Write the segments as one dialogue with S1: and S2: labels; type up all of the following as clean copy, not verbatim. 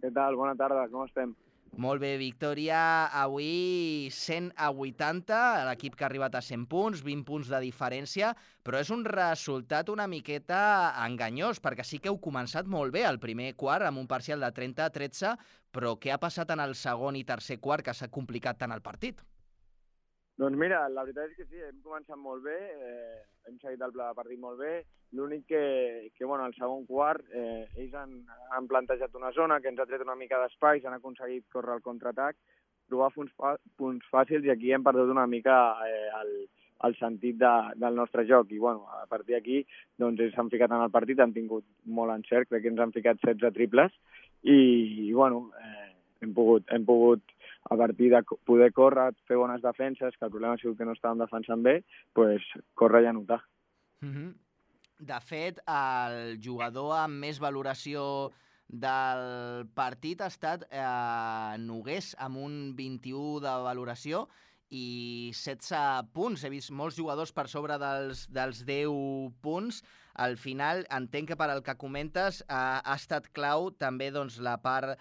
S1: Què tal? Bona tarda, com estem?
S2: Molt bé, victòria avui 100-80, l'equip que ha arribat a 100 punts, 20 punts de diferència, però és un resultat una miqueta enganyós, perquè sí que heu començat molt bé el primer quart, amb un parcial de 30-13, però què ha passat en el segon i tercer quart que s'ha complicat tant el partit?
S1: Doncs mira, la veritat és que sí, hem començat molt bé, hem seguit el pla de partit molt bé, l'únic que bueno, al segon quart ells han plantejat una zona que ens ha tret una mica d'espai, s'han aconseguit córrer el contraatac, trobar punts fàcils i aquí hem perdut una mica el sentit del nostre joc i bueno, a partir d'aquí doncs ells s'han ficat en el partit, han tingut molt encert, crec que ens han ficat 16 triples i bueno, hem pogut a partir de poder córrer, fer bones defenses, que el problema ha sigut que no estàvem defensant bé, pues, córrer i anotar.
S2: De fet, el jugador amb més valoració del partit ha estat Nogués, amb un 21 de valoració i 16 punts. He vist molts jugadors per sobre dels 10 punts. Al final, entenc que per al que comentes ha estat clau també doncs, la part,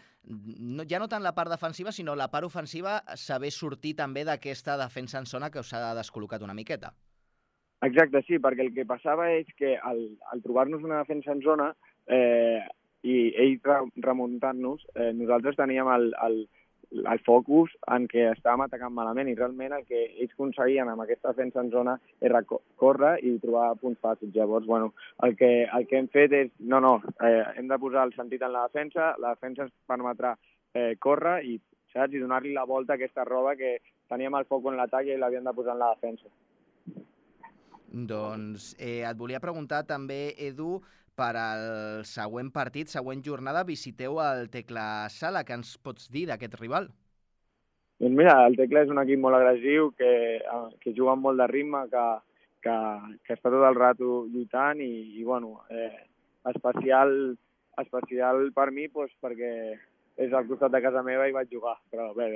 S2: ja no tant la part defensiva, sinó la part ofensiva, saber sortir també d'aquesta defensa en zona que us ha descol·locat una miqueta.
S1: Exacte, sí, perquè el que passava és que al trobar-nos una defensa en zona i ells remuntant-nos, nosaltres teníem el focus en què estàvem atacant malament i realment el que ells aconseguien amb aquesta defensa en zona era córrer i trobar punts fàcils. Llavors, bueno, el que hem fet és, hem de posar el sentit en la defensa ens permetrà córrer i, saps, i donar-li la volta a aquesta roba que teníem el foc en l'atac i l'havíem de posar en la defensa.
S2: Doncs et volia preguntar també, Edu, per al següent partit, següent jornada, visiteu el Tecla Sala. Què ens pots dir d'aquest rival?
S1: Doncs mira, el Tecla és un equip molt agressiu, que juga amb molt de ritme, que està tot el rato lluitant i bueno, especial per mi doncs, perquè és al costat de casa meva i vaig jugar. Però bé,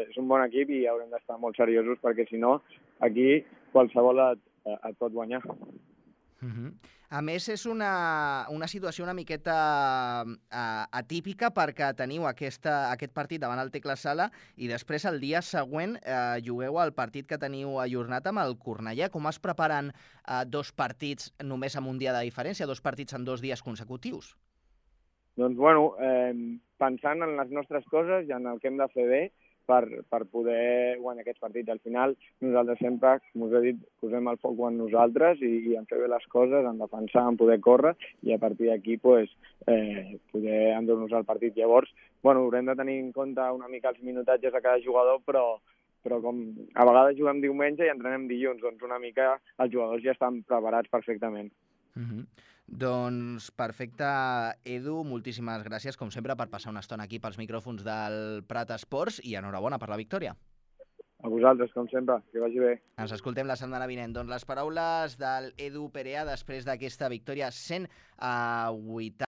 S1: és un bon equip i haurem d'estar molt seriosos perquè si no, aquí qualsevol et pot guanyar.
S2: A més, és una situació una miqueta atípica perquè teniu aquest partit davant el Tecla Sala i després el dia següent jugueu el partit que teniu ajornat amb el Cornellà. Com es preparen dos partits només amb un dia de diferència, dos partits en 2 dies consecutius?
S1: Doncs bueno, pensant en les nostres coses i en el que hem de fer bé, per poder guanyar aquests partits. Al final, nosaltres sempre, com us he dit, posem el foc en nosaltres i en fer bé les coses, en defensar, en poder córrer, i a partir d'aquí pues, poder endur-nos al partit. Llavors, bueno, haurem de tenir en compte una mica els minutatges de cada jugador, però com a vegades juguem diumenge i entrenem dilluns, doncs una mica els jugadors ja estan preparats perfectament.
S2: Doncs perfecte, Edu, moltíssimes gràcies, com sempre, per passar una estona aquí pels micròfons del Prat Esports i enhorabona per la victòria.
S1: A vosaltres, com sempre, que vagi bé.
S2: Ens escoltem la setmana vinent. Doncs les paraules del Edu Perea després d'aquesta victòria 100-80.